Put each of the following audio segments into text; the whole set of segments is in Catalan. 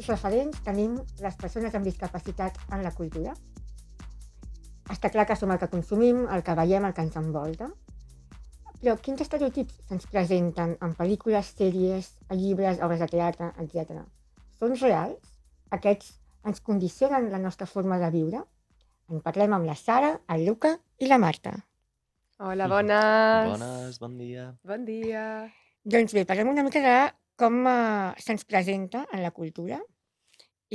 quins referents tenim les persones amb discapacitat en la cultura? Està clar que som el que consumim, el que veiem, el que ens envolta. Però quins estereotips se'ns presenten en pel·lícules, sèries, llibres, obres de teatre, etc. Són reals? Aquests ens condicionen la nostra forma de viure? En parlem amb la Sara, el Luca i la Marta. Hola, bones. Bones, bon dia. Bon dia. Doncs bé, parlem una mica de com se'ns presenta en la cultura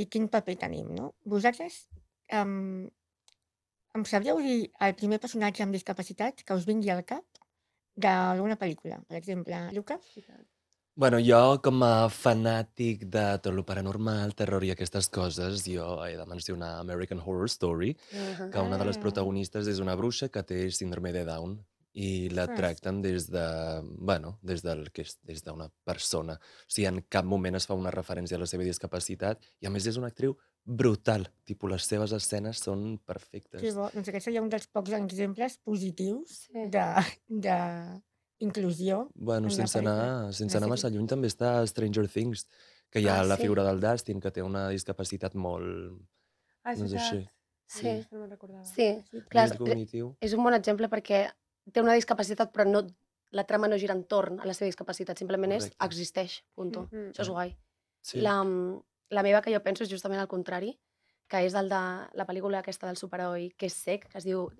i quin paper tenim, no? Vosaltres em sabríeu dir el primer personatge amb discapacitat que us vingui al cap d'alguna pel·lícula? Per exemple, Luca? Bueno, jo com a fanàtic de tot lo paranormal, terror i aquestes coses, jo he de mencionar American Horror Story, que una de les protagonistes és una bruixa que té síndrome de Down i la tracten des d'una persona. O sigui, en cap moment es fa una referència a la seva discapacitat i a més és una actriu brutal. Tipus, les seves escenes són Que perfectes. bo. Doncs aquest seria un dels pocs exemples positius Sí. d'inclusió Bueno, en una sense pel·lícula. anar massa lluny també està Stranger Things, que hi ha la sí. figura del Dustin, que té una discapacitat molt, És no sé, veritat. així, Sí, Sí. no me'n recordava. Sí, Sí, clar, nivell cognitiu. és un bon exemple perquè té una discapacitat, però no, la trama no gira entorn a la seva discapacitat, simplement Correcte. existeix, punto. Mhm. Això és guai. Sí. La meva que jo penso és justament al contrari, que és el de la pel·lícula aquesta del superheroi que és cec, que es diu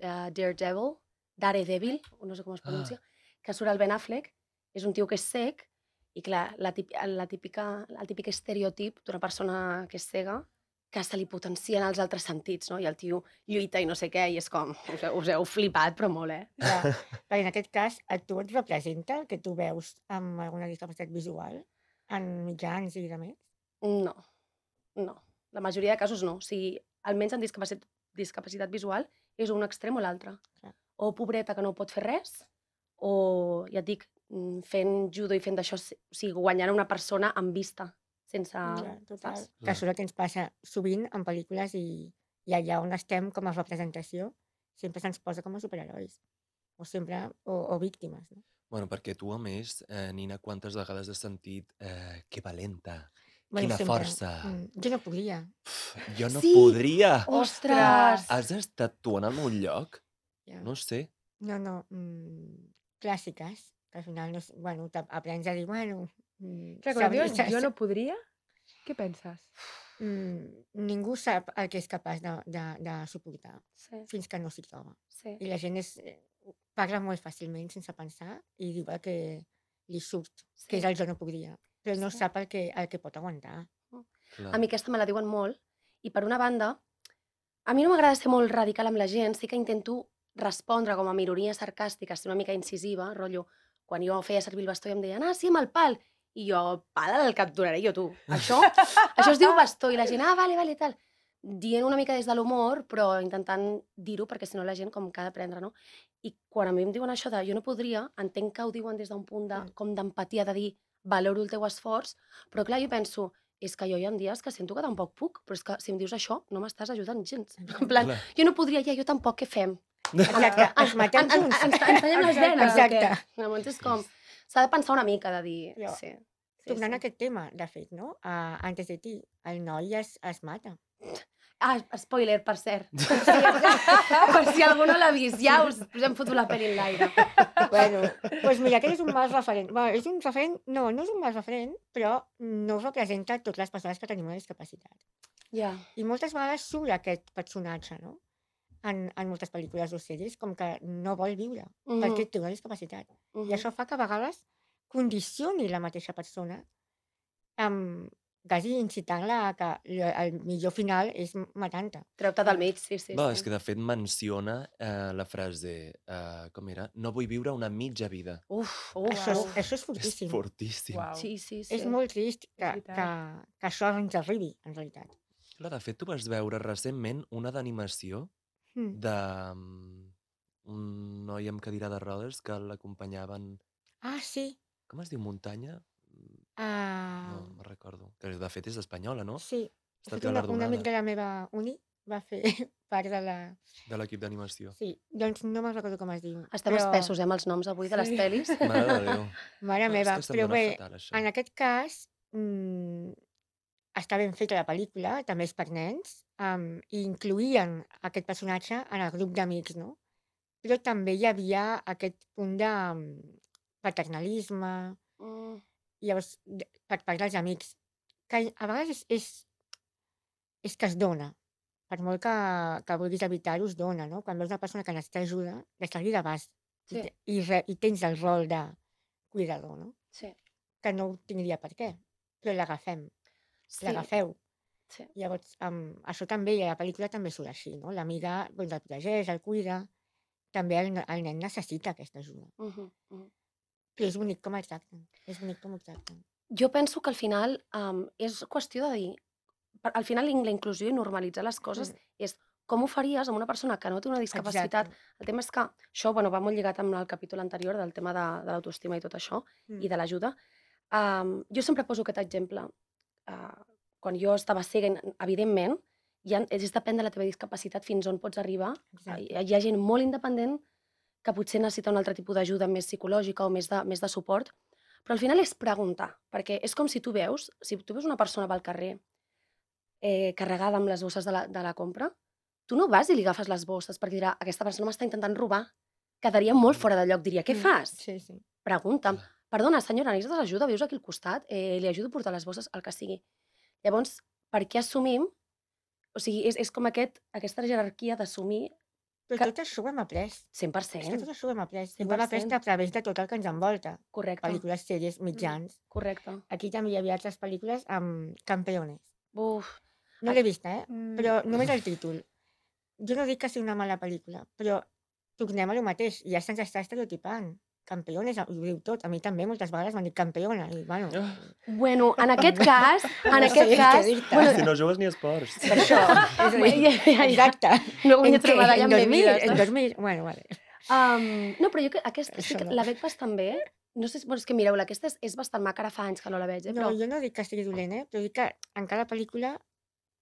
Daredevil, o no sé com es pronuncia, que surt el Ben Affleck, és un tio que és cec, i clar, el típic estereotip d'una persona que és cega, que se li potencien els altres sentits, no? I el tio lluita i no sé què, i és com, us heu flipat, però molt, Clar, perquè en aquest cas a tu et representa el que tu veus amb alguna discapacitat visual en mitjans i de més? No. La majoria de casos no. O sigui, almenys en discapacitat visual és un extrem o l'altre. Clar. O pobreta que no pot fer res, o, ja et dic, fent judo i fent d'això, o sigui, guanyant una persona amb vista, sense... Clar, total. saps? Que això és el que ens passa sovint en pel·lícules i allà on estem com a representació sempre se'ns posa com a superherois o sempre, o víctimes, no? Bueno, perquè tu, a més, Nina, quantes vegades has sentit que valenta, Bueno, quina sempre. força. Jo no podria. Jo no Sí! podria. Ostres! Has estat tu en el meu lloc? Ja. No sé. No. Clàssiques, que al final, no, bueno, aprens a dir, bueno... Clar, quan dius jo no podria, què penses? Ningú sap el que és capaç de suportar Sí, fins que no s'hi troba. sí. I la gent parla molt fàcilment sense pensar i diu el que li surt, que és el jo no podria, però no Sí. sap el que pot aguantar. Clar. A mi aquesta me la diuen molt, i per una banda, a mi no m'agrada ser molt radical amb la gent, sí que intento respondre com a ironia sarcàstica, ser una mica incisiva, rotllo, quan jo feia servir el bastó i em deien, sí, amb el pal, i jo, pal el capturaré jo, tu. Això es diu bastó, i la gent, vale, tal. Dient una mica des de l'humor, però intentant dir-ho, perquè si no la gent com que ha d'aprendre, no? I quan a mi em diuen això de jo no podria, entenc que ho diuen des d'un punt com d'empatia, de dir, valoro el teu esforç, però clar, jo penso, és que jo hi ha dies que sento que tampoc puc, però és que si em dius això no m'estàs ajudant gens. En plan, Clar. jo no podria, jo tampoc, què fem? Exacte, ens matem junts. Ens tallem les venes, Exacte. o què? Llavors és com, s'ha de pensar una mica, de dir, Jo, sí. Tornant a aquest tema, de fet, no? Antes de ti, el noi es mata. Spoiler, per cert. Per si algú no l'ha vist, ja us hem fotut la pel·li en l'aire. Bueno, doncs mira, aquest és un mal referent. Bueno, és un referent, no és un mal referent, però no representa totes les persones que tenim una discapacitat. Ja. I moltes vegades surt aquest personatge, no? En moltes pel·lícules o sèries, com que no vol viure, perquè té una discapacitat. I això fa que a vegades condicioni la mateixa persona, quasi incitant-la a que el millor final és matant-te. Treu-te del mig, sí. Va, és que de fet menciona la frase, com era? No vull viure una mitja vida. Això és És fortíssim. fortíssim. Uau. Sí. És molt trist que veritat. això ens arribi, en realitat. Clar, de fet, tu vas veure recentment una d'animació de un noi amb cadira de rodes que l'acompanyaven... Sí. Com es diu? Muntanya? No me'n recordo. Que de fet és espanyola, no? Sí. Està Un amic galardonada de la meva uni va fer part de l'equip d'animació. Sí, doncs no me'n recordo com es diu. Estem espessos, amb els noms avui de les pel·lis. Mare de Déu. Mare meva, És que se'm però dona bé, fatal, això. en aquest cas està ben feta la pel·lícula, també és per nens, i incluïen aquest personatge en el grup d'amics, no? Però també hi havia aquest punt de paternalisme, Mm, llavors, per part dels amics, que a vegades és que es dona. Per molt que vulguis evitar-ho, es dona, no? Quan veus una persona que necessita ajuda, deixar-li d'abast. Sí. I tens el rol de cuidador, no? sí, Que no ho tindria per què, però l'agafem, sí, l'agafeu. sí. Llavors, això també, i a la pel·lícula també surt així, no? L'amiga doncs, el protegeix, el cuida, també el nen necessita aquesta ajuda. Mhm, mhm. Però és bonic com el tracten, és bonic com ho tracten. Jo penso que al final és qüestió de dir, al final la inclusió i normalitzar les coses és com ho faries amb una persona que no té una discapacitat. Exacte. El tema és que això va molt lligat amb el capítol anterior del tema de l'autoestima i tot això, i de l'ajuda. Jo sempre poso aquest exemple. Quan jo estava cega, evidentment, és depèn de la teva discapacitat fins on pots arribar. Exacte. Hi ha gent molt independent que potser necessita un altre tipus d'ajuda més psicològica o més de suport, però al final és preguntar, perquè és com si tu veus una persona pel carrer carregada amb les bosses de la compra, tu no vas i li agafes les bosses perquè dirà, aquesta persona m'està intentant robar. Quedaria molt fora de lloc, diria, què fas? Sí, sí. Pregunta'm, perdona, senyora, necessites ajuda? Vius aquí al costat? Li ajudo a portar les bosses, el que sigui. Llavors, per què assumim? O sigui, és com aquesta jerarquia d'assumir Però tot això ho hem après. 100%. És que tot això ho hem après. Ho 100%. hem après a través de tot el que ens envolta. Correcte. Pel·lícules, sèries, mitjans. Correcte. Aquí també hi havia altres pel·lícules amb campeones. Uf. No l'he vista, però només el títol. Jo no dic que sigui una mala pel·lícula, però tornem a lo mateix. Ja se'ns està estereotipant. Campeones, ho diu tot. A mi també moltes vegades m'han dit campeona. I, bueno, en aquest cas... Si no jugues ni esports. Per això. Exacte. No guanyat una medalla en bebides. En 2000, bueno, vale. No, però jo sí que la veig bastant bé. No sé, és que mireu-la, aquesta és bastant maca, ara fa anys que no la veig. No, jo no dic que estigui dolent, però dic que en cada pel·lícula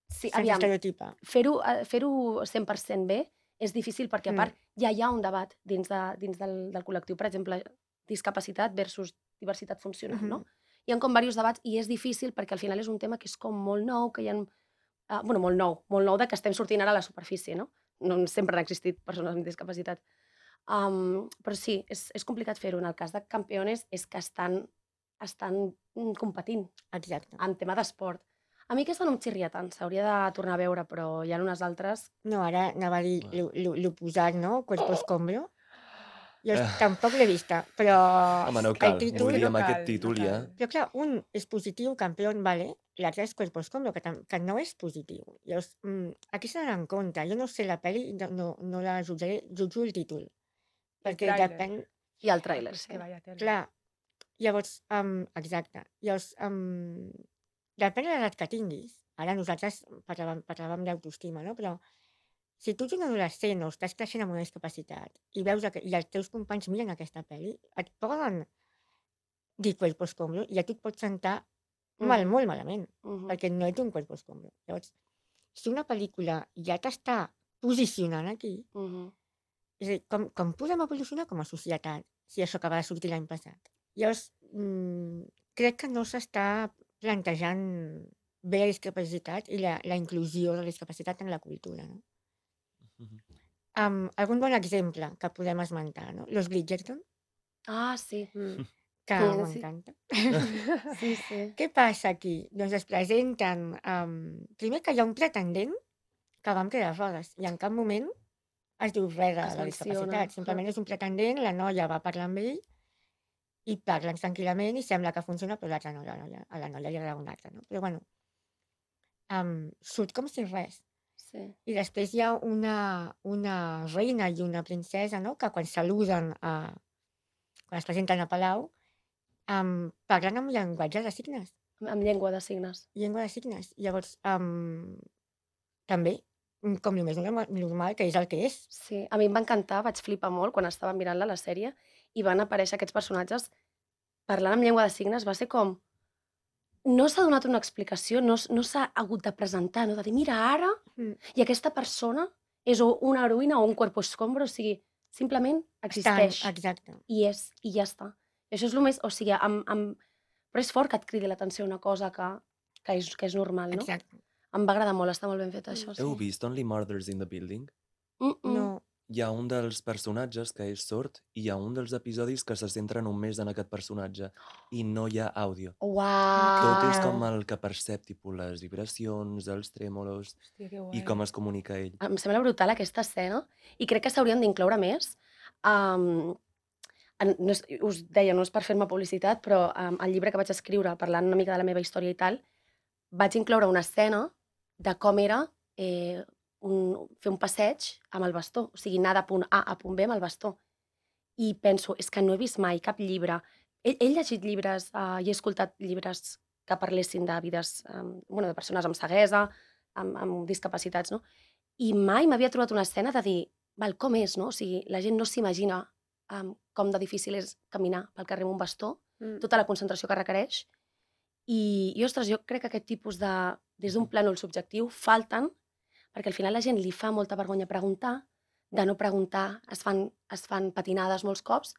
se'ns estereotipa. Fer-ho 100% bé és difícil perquè, a part, ja hi ha un debat dins del col·lectiu, per exemple, discapacitat versus diversitat funcional, no? Hi ha com diversos debats i és difícil perquè al final és un tema que és com molt nou, que hi ha... Bueno, molt nou de que estem sortint ara a la superfície, no? No sempre han existit persones amb discapacitat. Però sí, és complicat fer-ho. En el cas de campeones és que estan competint. Exacte. En tema d'esport. A mi aquesta no em xirria tant, s'hauria de tornar a veure, però hi ha unes altres... No, ara anava a dir l'oposat, no? Cuerpo escombro. Jo tampoc l'he vista, però... Home, no cal, amb aquest títol ja. Però clar, un és positiu, campió, vale, l'altre és Cuerpo escombro, que no és positiu. Llavors, aquí s'ha d'anar en compte. Jo no sé la pel·li, no la jutjaré, jutjo el títol. Perquè depèn... I el tràiler, sí. Clar, llavors, exacte. Llavors, depèn de l'edat que tinguis. Ara nosaltres parlàvem d'autoestima, no? Però si tu ets un adolescent o estàs creixent amb una discapacitat i veus i els teus companys miren aquesta pel·li, et poden dir cuerpo escombro i a tu et pots sentar molt malament, perquè no ets un cuerpo escombro. Llavors, si una pel·lícula ja t'està posicionant aquí, és a dir, com podem evolucionar com a societat si això acaba de sortir l'any passat? Llavors, crec que no s'està plantejant bé la discapacitat i la inclusió de la discapacitat en la cultura, no? Algun bon exemple que podem esmentar, no? Los Bridgerton. Ah, sí. Que m'encanta. Sí, sí. Què passa aquí? Doncs es presenten... Primer que hi ha un pretendent que va amb cadira de rodes i en cap moment es diu res de la discapacitat. Simplement és un pretendent, la noia va parlar amb ell i parlen tranquil·lament i sembla que funciona, però a la noia li agrada un altre, no? Però bueno, surt com si res. Sí. I després hi ha una reina i una princesa, no? Que quan saluden, quan es presenten a Palau, parlen amb llenguatge de signes. Amb llengua de signes. Llengua de signes. Llavors, també, com el més normal, que és el que és. Sí, a mi em va encantar, vaig flipar molt quan estava mirant-la, la sèrie, i van aparèixer aquests personatges parlant amb llengua de signes, va ser com... No s'ha donat una explicació, no s'ha hagut de presentar, no? De dir, mira, ara, i aquesta persona és una heroïna o un cuerpo escombro, o sigui, simplement existeix. Exacte. I ja està. I això és el més... O sigui, però és fort que et cridi l'atenció una cosa que que és normal, no? Exacte. Em va agradar molt, està molt ben fet això, Heu sí. vist Only Murders in the Building? No. Hi ha un dels personatges que és sord i hi ha un dels episodis que se centra només en aquest personatge i no hi ha àudio. Tot és com Uau! el que percep, tipus les vibracions, els trèmolos Hòstia, que i guai. com es comunica ell. Em sembla brutal aquesta escena i crec que s'haurien d'incloure més. No és, us deia, no és per fer-me publicitat, però el llibre que vaig escriure parlant una mica de la meva història i tal, vaig incloure una escena de com era fer un passeig amb el bastó, o sigui, anar de punt A a punt B amb el bastó. I penso, és que no he vist mai cap llibre. He llegit llibres i he escoltat llibres que parlessin de vides, de persones amb ceguesa, amb discapacitats, no? I mai m'havia trobat una escena de dir, val, com és, no? O sigui, la gent no s'imagina com de difícil és caminar pel carrer amb un bastó, tota la concentració que requereix. I ostres, jo crec que aquest tipus de, des d'un plànol subjectiu, falten, perquè al final la gent li fa molta vergonya preguntar, de no preguntar, es fan patinades molts cops,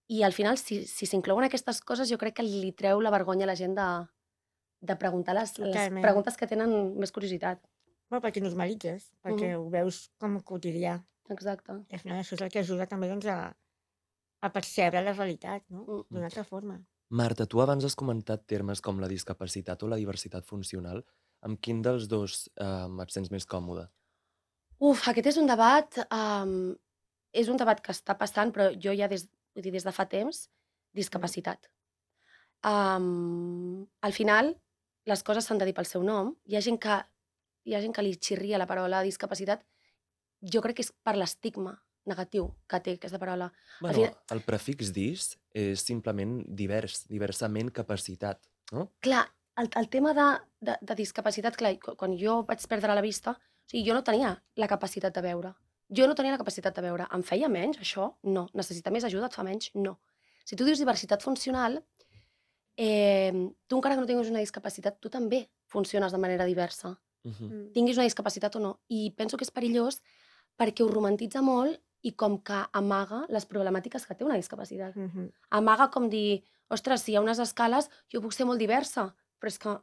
i al final, si s'inclouen aquestes coses, jo crec que li treu la vergonya a la gent de preguntar les preguntes que tenen més curiositat. Bueno, perquè normalitzes, perquè ho veus com quotidià. Exacte. I al final això és el que ajuda també doncs, a percebre la realitat, no? D'una altra forma. Marta, tu abans has comentat termes com la discapacitat o la diversitat funcional. Amb quin dels dos et sents més còmode? Aquest és un debat que està passant, però jo ja des de fa temps, discapacitat. Al final, les coses s'han de dir pel seu nom. Hi ha gent que li xirria la paraula discapacitat. Jo crec que és per l'estigma negatiu que té aquesta paraula. Bueno, el prefix dis és simplement diversament capacitat, no? Clar, el tema de discapacitat, clar, quan jo vaig perdre la vista, o sigui, jo no tenia la capacitat de veure. Em feia menys, això? No. Necessitar més ajuda et fa menys? No. Si tu dius diversitat funcional, tu encara que no tinguis una discapacitat, tu també funciones de manera diversa. Tinguis una discapacitat o no. I penso que és perillós perquè ho romantitza molt i com que amaga les problemàtiques que té una discapacitat. Amaga com dir, ostres, si hi ha unes escales, jo puc ser molt diversa, però és que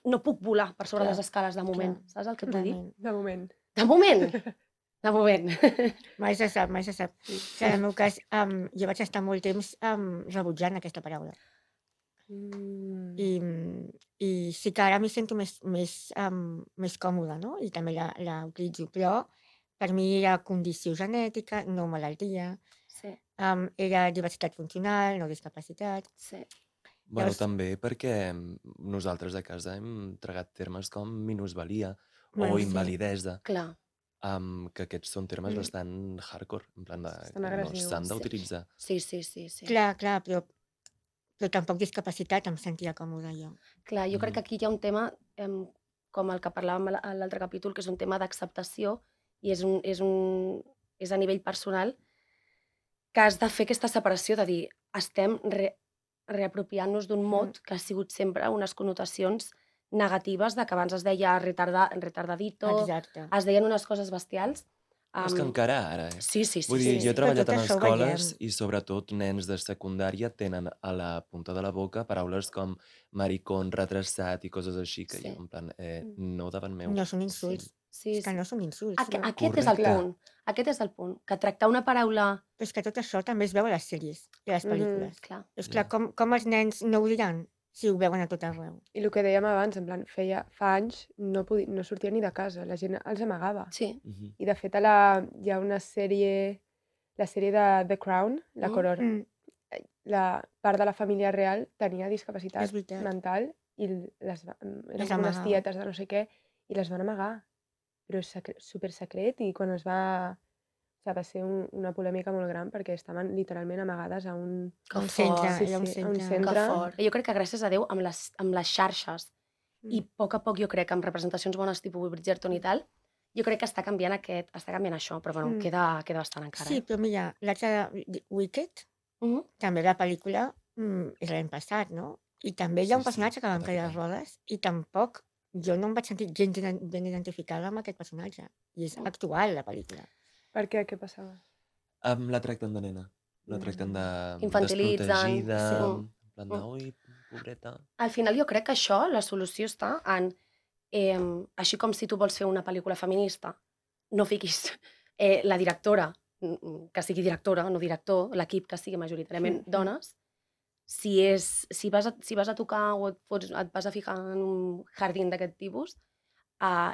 no puc volar per sobre les escales de moment. Saps el que et vull dir? De moment. De moment. De moment. Mai se sap. En el meu cas, jo vaig estar molt temps rebutjant aquesta paraula. I sí que ara m'hi sento més còmoda, no? I també la utilitzo, però per mi era condició genètica, no malaltia. Sí. Era diversitat funcional, no discapacitat. Sí. Bueno, també perquè nosaltres a casa hem tragat termes com minusvalia o invalidesa. Clar. Que aquests són termes bastant hardcore, en plan Estan no agressius. s'han d'utilitzar. Sí. Clar, però tampoc discapacitat em sentia còmoda jo. Clar, jo crec que aquí hi ha un tema, com el que parlàvem a l'altre capítol, que és un tema d'acceptació i és a nivell personal que has de fer aquesta separació de dir estem reapropiant-nos d'un mot que ha sigut sempre unes connotacions negatives, de que abans es deia retardadito, Exacte. es deien unes coses bestials. És que encara ara, Sí. Vull dir, jo he treballat en tot això ho escoles veiem. i sobretot nens de secundària tenen a la punta de la boca paraules com maricón, retrasat i coses així, que Sí. jo en plan, no davant meu. No són insults. Sí. És que no són insults. Aquest és el Correcte. punt. Aquest és el punt. Que tractar una paraula... Però és que tot això també es veu a les sèries i a les pel·lícules. Clar. És clar, com els nens no ho diran si ho veuen a tot arreu? I el que dèiem abans, en plan, fa anys no sortia ni de casa, la gent els amagava. Sí. I de fet hi ha una sèrie, la sèrie de The Crown, la Corona, la part de la família real tenia discapacitat És veritat. mental i eren Les com unes amagaven. tietes de no sé què i les van amagar. Però és supersecret i quan va ser una polèmica molt gran perquè estaven literalment amagades a un... Que Un fort. centre, Sí, era un sí, a un centre. centre. Que fort. Jo crec que gràcies a Déu amb les xarxes i a poc jo crec que amb representacions bones tipus Bridgerton i tal, jo crec que està canviant això, però bueno, queda bastant encara. Sí, però mira, l'altre Wicked, també la pel·lícula és l'any passat, no? I també hi ha un personatge que va en caire de rodes i tampoc jo no em vaig sentir gens ben identificada amb aquest personatge. I és actual, la pel·lícula. Per què? Què passava? La tracten de nena. La tracten de Infantilitzen, desprotegida, sí. en plan de, ui, pobreta. Al final jo crec que això, la solució està en, així com si tu vols fer una pel·lícula feminista, no fiquis la directora, que sigui directora, no director, l'equip que sigui majoritàriament dones, si vas a tocar o et vas a ficar en un jardín d'aquest tipus,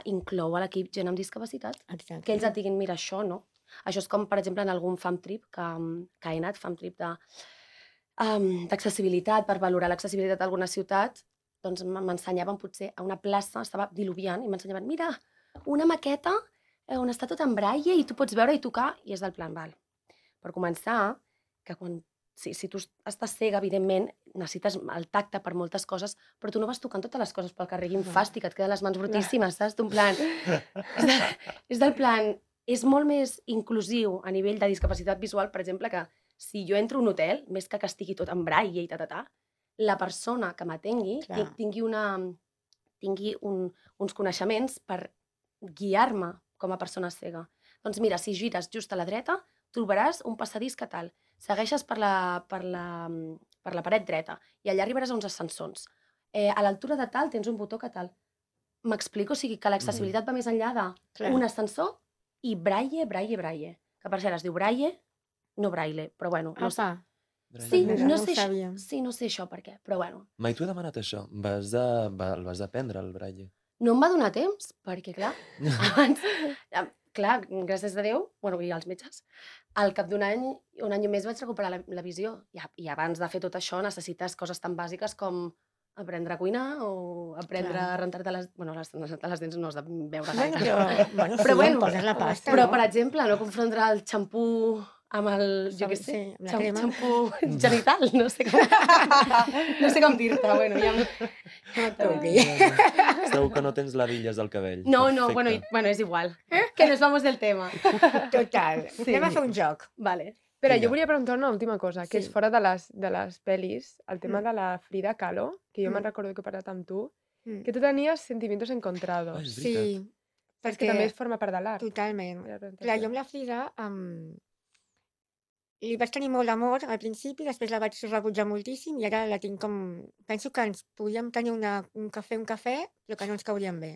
inclou a l'equip gent amb discapacitat, Exacte. que ells et diguin, mira, això no. Això és com, per exemple, en algun fam trip que he anat, fam trip d'accessibilitat, per valorar l'accessibilitat d'alguna ciutat, doncs m'ensenyaven potser a una plaça, estava diluviant, i m'ensenyaven, mira, una maqueta on està tot en braille i tu pots veure i tocar, i és del plan, val. Per començar, que si tu estàs cega, evidentment, necessites el tacte per moltes coses, però tu no vas tocant totes les coses pel carrer, quin fàstic, et queden les mans brutíssimes, saps? D'un plan... És del plan... És molt més inclusiu a nivell de discapacitat visual, per exemple, que si jo entro a un hotel, més que estigui tot en braille i la persona que m'atengui tingui uns coneixements per guiar-me com a persona cega. Doncs mira, si gires just a la dreta, trobaràs un passadís que tal. Segueixes per la paret dreta i allà arribaràs a uns ascensors. A l'altura de tal tens un botó que tal. M'explico? O sigui, que l'accessibilitat va més enllà d'un ascensor i braille. Que per cert es diu braille, no braille, però bueno. No sé. Sí, no sé això per què, però bueno. Mai t'ho he demanat això. El vas aprendre, el braille? No em va donar temps, perquè clar, abans, clar, gràcies a Déu, i als metges, al cap d'un any, un any i més vaig recuperar la visió. I abans de fer tot això necessites coses tan bàsiques com aprendre a cuinar o aprendre a rentar-te les... Bueno, les dents no has de veure gaire. Però bueno, poses la pasta, però, per exemple, no confondre el xampú amb el, jo què sé, xampú genital, no sé com dir-te, bueno, ja... Segur que no tens ladilles al cabell. No, bueno, és igual, que nos vamos del tema. Total, anem a fer un joc. Vale. Però jo volia preguntar una última cosa, que és fora de les pel·lis, el tema de la Frida Kahlo, que jo me'n recordo que he parlat amb tu, que tu tenies sentimientos encontrados. Sí, perquè també forma part de l'art. Totalment. Clar, jo amb la Frida li vaig tenir molt d'amor al principi, després la vaig rebutjar moltíssim i ara la tinc com... Penso que ens podíem tenir un cafè, però que no ens cauríem bé.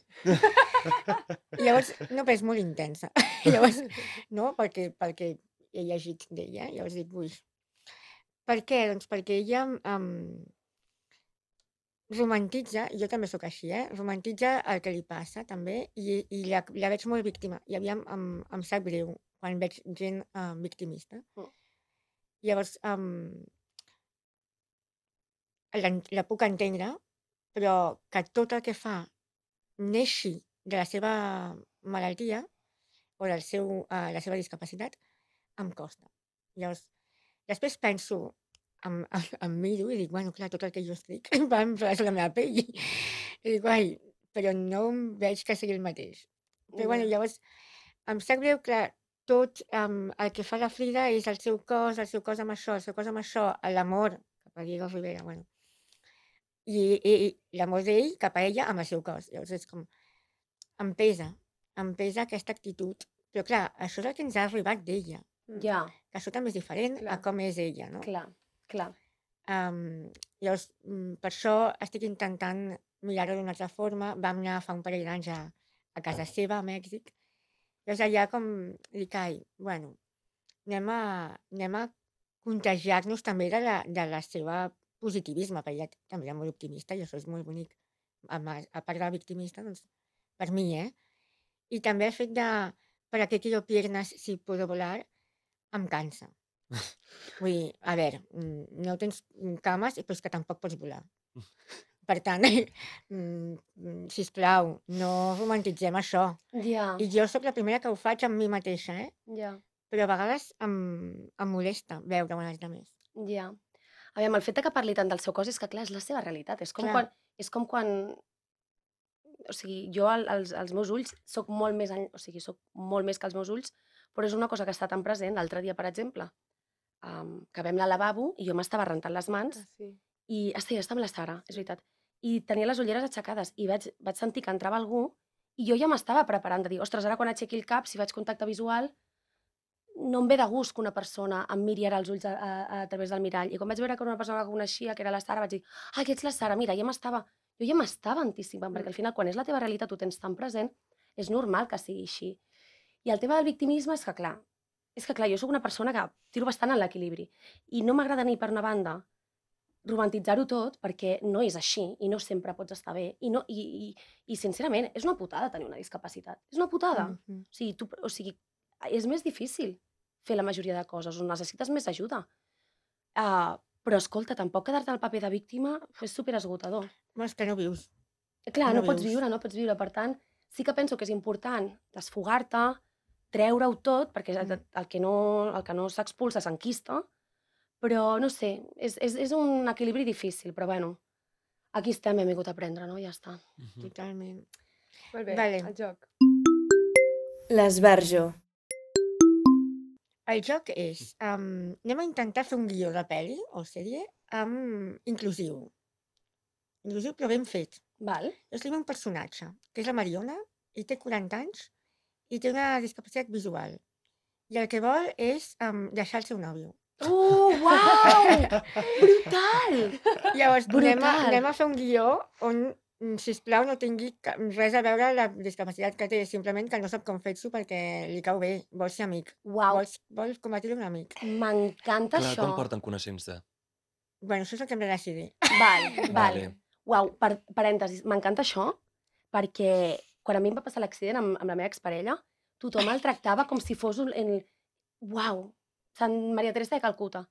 Llavors, no, però és molt intensa. Llavors, no, perquè he llegit d'ella, llavors dic, ui. Per què? Doncs perquè ella romantitza, jo també sóc així, romantitza el que li passa, també, i la veig molt víctima. I aviam, em sap greu quan veig gent victimista. Llavors, la puc entendre, però que tot el que fa neixi de la seva malaltia o la seva discapacitat, em costa. Llavors, després penso, em miro i dic, bueno, clar, tot el que jo estic va en la meva pell. I dic, ai, però no em veig que sigui el mateix. Però bueno, llavors, em sap greu que tot el que fa la Frida és el seu cos amb això, l'amor cap a Diego Rivera, bueno. I l'amor d'ell cap a ella amb el seu cos. Llavors és com, em pesa aquesta actitud. Però clar, això és el que ens ha arribat d'ella. Ja. Que això també és diferent a com és ella, no? Clar. Llavors, per això estic intentant mirar-ho d'una altra forma. Vam anar fa un parell d'anys a casa seva, a Mèxic. Llavors allà com dic, ai, bueno, anem a contagiar-nos també de la seva positivisme, perquè ella també era molt optimista i això és molt bonic. A part de la victimista, doncs, per mi, I també el fet de ¿para qué quiero piernas si puedo volar? Em cansa. Vull dir, a veure, no tens cames, però és que tampoc pots volar. Per tant, sisplau, no romantitzem això. I jo sóc la primera que ho faig amb mi mateixa, però a vegades em molesta veure una altra més. Ja. Aviam, el fet que parli tant del seu cos és que, clar, és la seva realitat. És com quan o sigui, jo als meus ulls soc molt més que els meus ulls, però és una cosa que està tan present. L'altre dia, per exemple, que vam al lavabo i jo m'estava rentant les mans i estava amb la Sara, és veritat, i tenia les ulleres aixecades i vaig sentir que entrava algú i jo ja m'estava preparant de dir, ostres, ara quan aixequi el cap, si faig contacte visual, no em ve de gust que una persona em miri ara als ulls a través del mirall. I quan vaig veure que una persona que coneixia, que era la Sara, vaig dir, que ets la Sara, mira, jo ja m'estava anticipant, perquè al final, quan és la teva realitat, ho tens tan present, és normal que sigui així. I el tema del victimisme és que, clar, jo sóc una persona que tiro bastant en l'equilibri. I no m'agrada ni per una banda romantitzar-ho tot, perquè no és així i no sempre pots estar bé. I sincerament, és una putada tenir una discapacitat. És una putada. O sigui, és més difícil fer la majoria de coses, on necessites més ajuda. Però, escolta, tampoc quedar-te al paper de víctima és superesgotador. És que no vius. Clar, No no pots vius. viure. Per tant, sí que penso que és important desfogar-te, treure-ho tot, perquè el que no s'expulsa s'enquista, però no sé, és un equilibri difícil, però bueno, aquí estem, hem vingut a aprendre, no? Ja està. Totalment. Molt bé, Vale. el joc. L'esbarjo. El joc és... anem a intentar fer un guió de pel·li o sèrie inclusiu. Inclusiu, però ben fet. Val? Jo escriu un personatge, que és la Mariona, i té 40 anys, i té una discapacitat visual. I el que vol és deixar el seu nòvio. Uau! Brutal! Llavors, Brutal. anem a fer un guió on, sisplau, no tingui res a veure la discapacitat que té, simplement que no sap com fer-s'ho perquè li cau bé, vol ser amic. Uau, Vols convertir-lo en amic. m'encanta Clar, això. com porten coneixent-se? Bueno, això és el que hem de decidir. Val. Vale. Uau, parèntesis, m'encanta això, perquè quan a mi em va passar l'accident amb la meva exparella, tothom el tractava com si fos Uau, Sant Maria Teresa de Calcuta.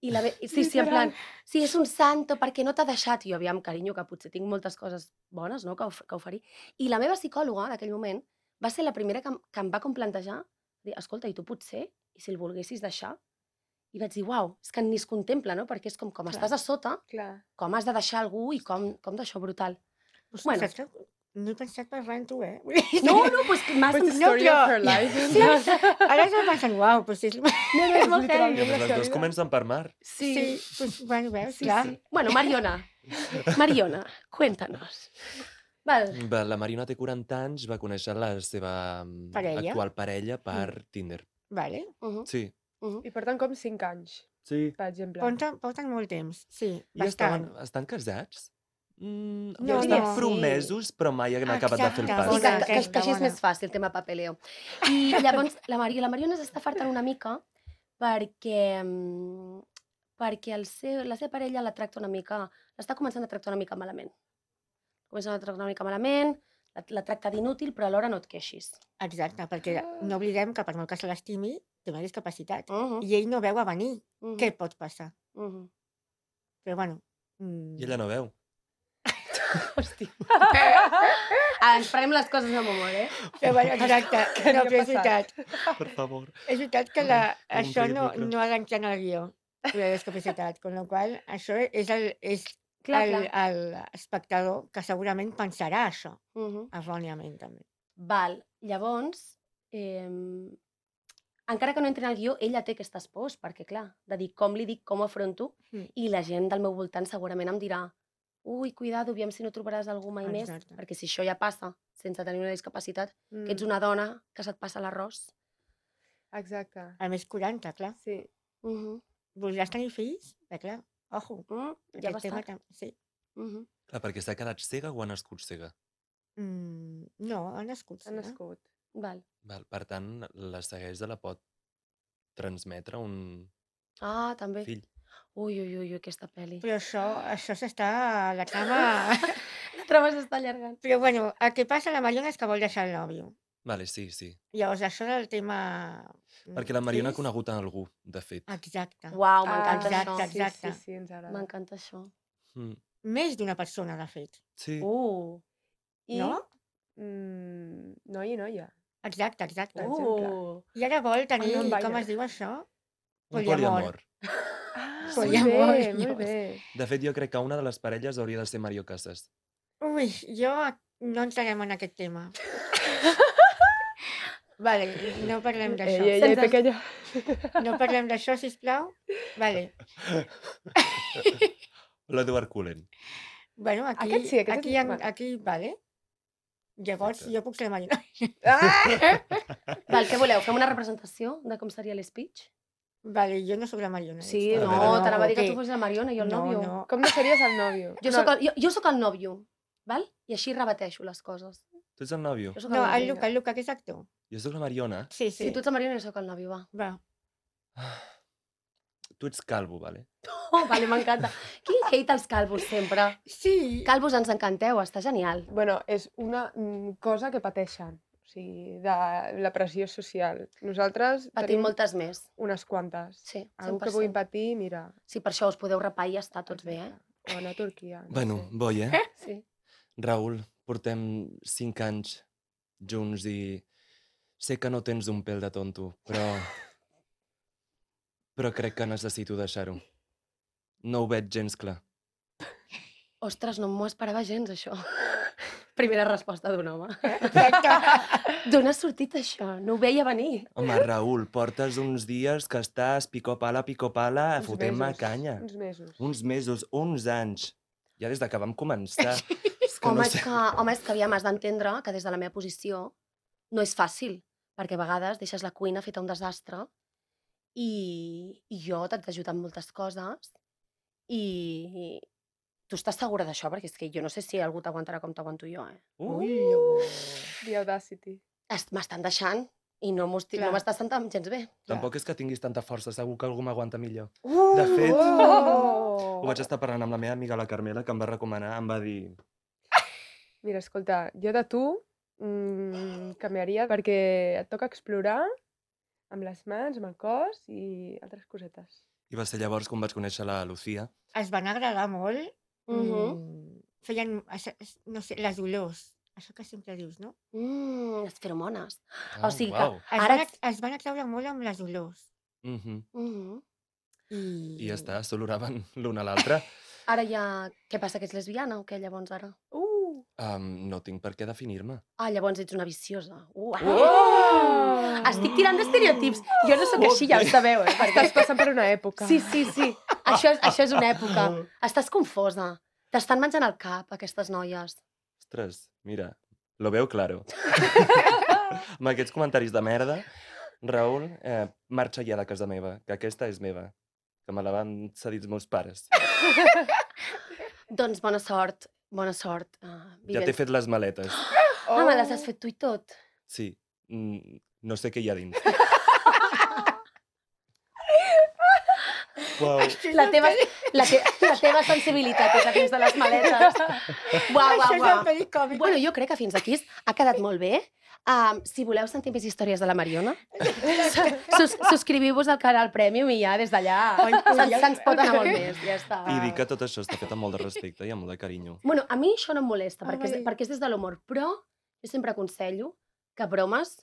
Sí, en plan, sí, és un santo, perquè no t'ha deixat. I jo, aviam, carinyo, que potser tinc moltes coses bones, no?, que oferir. I la meva psicòloga, d'aquell moment, va ser la primera que em va com plantejar, dir, escolta, i tu potser, i si el volguessis deixar? I vaig dir, uau, és que ni es contempla, no?, perquè és com Clar. estàs a sota, Clar. com has de deixar algú i com d'això brutal. Ostres, Bueno. saps que no he pensat parlar amb tu, eh? No, doncs m'has... But the No, story però- of her life. Sí, ara estic pensant, uau, doncs és... No, és molt Literalment. heavy. Les dues comencen per mar. Sí, doncs, bueno, veus, Sí, clar. sí. Bueno, Mariona, cuéntanos. Val. La Mariona té 40 anys, va conèixer la seva Parella. actual parella per Tinder. Vale. Sí. I porten com 5 anys, Sí. per exemple. Porten molt temps, sí, I bastant. estan casats? No, estan no. promesos, però mai han acabat de fer el Exacte, pas. Sí, bona, que aquesta, així és bona. més fàcil, el tema papeleo. I llavors, la Mariona s'està fartant una mica perquè la seva parella la tracta una mica, l'està començant a tractar una mica malament. La tracta d'inútil, però alhora no et queixis. Exacte, perquè no oblidem que per molt que se l'estimi, té una discapacitat. Mhm, I ell no veu a venir mhm, què pot passar. mhm. Però bueno... I ella no veu. Hòstia. Ens prenem les coses amb humor, eh? Però bueno, exacte. Què No, li ha però és passat? veritat. Per favor. És veritat que això el no micro. ha d'entrar en el guió, la discapacitat, amb la qual cosa això és Clar, l'espectador que segurament pensarà això, Mhm. erròniament també. Val, llavors, encara que no entri en el guió, ella té aquestes pors, perquè clar, de dir com li dic, com ho afronto, i la gent del meu voltant segurament em dirà ui, cuidado, aviam si no trobaràs algú mai més, Exacte. perquè si això ja passa sense tenir una discapacitat, que ets Mm, una dona que se't passa l'arròs. Exacte. A més 40, clar. Sí. Voldràs tenir fills? Clar, ojo. Ja aquest va tema estar. sí. Clar, perquè s'ha quedat cega o ha nascut cega? No, ha nascut. Ha nascut. Val. Val, per tant, la ceguesa la pot transmetre un Ah, també. fill. Ui, aquesta pel·li. Però això s'està... La trama... La trama s'està allargant. Però bueno, el que passa a la Mariona és que vol deixar el nòvio. Vale, sí, sí. Llavors, això del tema... Perquè la Mariona ha fills, conegut a algú, de fet. Exacte. Uau, m'encanta exacte, això. exacte. Sí, ens agrada. M'encanta això. Mm. Més d'una persona, de fet. Sí. I, No? Noi i noia. Exacte. exemple. I ara vol tenir, non com binary. es diu això? Un Poliamor. Ah, Poliamor, molt bé, Dios. molt bé. De fet, jo crec que una de les parelles hauria de ser Mario Casas. Ui, jo no entrarem en aquest tema. Vale, no parlem d'això. Ei, pequeña. No parlem d'això, sisplau. Vale. L'Edward Cullen. Bueno, Aquest sí, aquest és- vale. Llavors, jo puc ser la Mariona. Val, què voleu? Fem una representació de com seria l'speech? Vale, jo no sóc la Mariona. Sí, A no, veure. t'anava a dir que ok. tu fossis la Mariona i jo el nòvio. No. Com no series el nòvio? Jo soc el nòvio, val? I així rebateixo les coses. Tu ets el nòvio? Jo soc No, el nòvio. el Luca, que és actor. Jo soc la Mariona. Sí. Si tu ets la Mariona, jo soc el nòvio, va. Va. Tu ets calvo, vale? Oh, vale, m'encanta. Quin hate als calvos, sempre. Sí. Calvos, ens encanteu, està genial. Bueno, és una cosa que pateixen. O sigui, de la pressió social. Nosaltres Patim tenim moltes més. unes quantes. Sí, 100%. Algú que vulgui patir, mira. Sí, per això us podeu rapar i ja està tots bé, eh? O anar a Turquia. No Bueno, sé. boi, eh? Sí. Raül, portem 5 anys junts i sé que no tens un pèl de tonto, però crec que necessito deixar-ho. No ho veig gens clar. Ostres, no m'ho esperava gens, això. Primera resposta d'un home. Exacte. D'on has sortit això? No ho veia venir. Home, Raül, portes uns dies que estàs pico-pala, Uns fotent-me mesos, canya. Uns mesos. Uns mesos, uns anys. Ja des de que vam començar. És que Home, no és sé. que aviam, has d'entendre que des de la meva posició no és fàcil, perquè a vegades deixes la cuina feta un desastre i jo t'haig d'ajudar amb moltes coses i tu estàs segura d'això? Perquè és que jo no sé si algú t'aguantarà com t'aguanto jo, eh? The Audacity. M'estan deixant i no Clar. m'estàs sentant gens bé. Tampoc és que tinguis tanta força, segur que algú m'aguanta millor. Uh! De fet, Oh! ho vaig estar parlant amb la meva amiga, la Carmela, que em va recomanar, em va dir... Mira, escolta, jo de tu canviaria perquè et toca explorar amb les mans, amb el cos i altres cosetes. I va ser llavors quan vaig conèixer la Lucía. Es van agradar molt. Mhm. Feien, no sé, les olors. Això que sempre dius, no? Les feromones. Ah, O sigui que- uau. Ara Es van atraure molt amb les olors. Mhm. Mhm. I ja està, s'oloraven l'un a l'altre. Ara ja... Què passa, que ets lesbiana o què, llavors, ara? No tinc per què definir-me. Ah, llavors ets una viciosa. Oh! Estic tirant d'estereotips. Jo no sóc així, ja ho sabeu, eh? Perquè... Estàs passant per una època. Sí. Això és una època. Estàs confosa. T'estan menjant el cap, aquestes noies. Ostres, mira, lo veo claro. Amb aquests comentaris de merda, Raül, marxa ja de casa meva, que aquesta és meva, que me la van cedir els meus pares. Doncs bona sort. Bona sort. Ja t'he fet les maletes. Ah, me les has fet tu i tot. Sí, no sé què hi ha dins. Uau. La teva sensibilitat és la dins de les maletes. Uau. Això és el pericòmic. Bueno, jo crec que fins aquí ha quedat molt bé. Si voleu sentir més històries de la Mariona, subscriviu-vos al canal Premium i ja des d'allà se'ns pot anar molt més. Ja està. I dir que tot això està fet amb molt de respecte i amb molt de carinyo. Bueno, a mi això no em molesta, Ah, vale. perquè és des de l'humor, però jo sempre aconsello que bromes,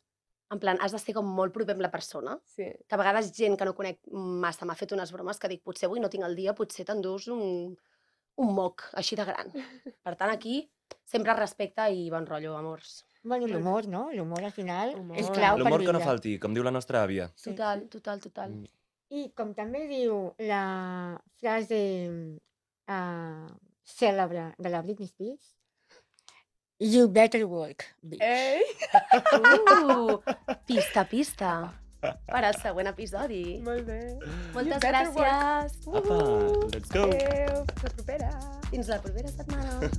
en plan, has de ser com molt proper amb la persona, Sí. que a vegades gent que no conec massa m'ha fet unes bromes que dic, potser avui no tinc el dia, potser t'endús un moc així de gran. Per tant, aquí sempre respecte i bon rotllo, amors. Bueno, l'humor, no? L'humor al final Humor. és clau per L'humor que no viure. falti, com diu la nostra àvia. Sí. Total. Mm. I com també diu la frase cèlebre de la Britney Spears, you better work, bitch. Ei! Pista. Per al següent episodi. Molt bé. Moltes better work. gràcies. Apa, let's go! Adéu, fins la propera. Fins la propera setmana.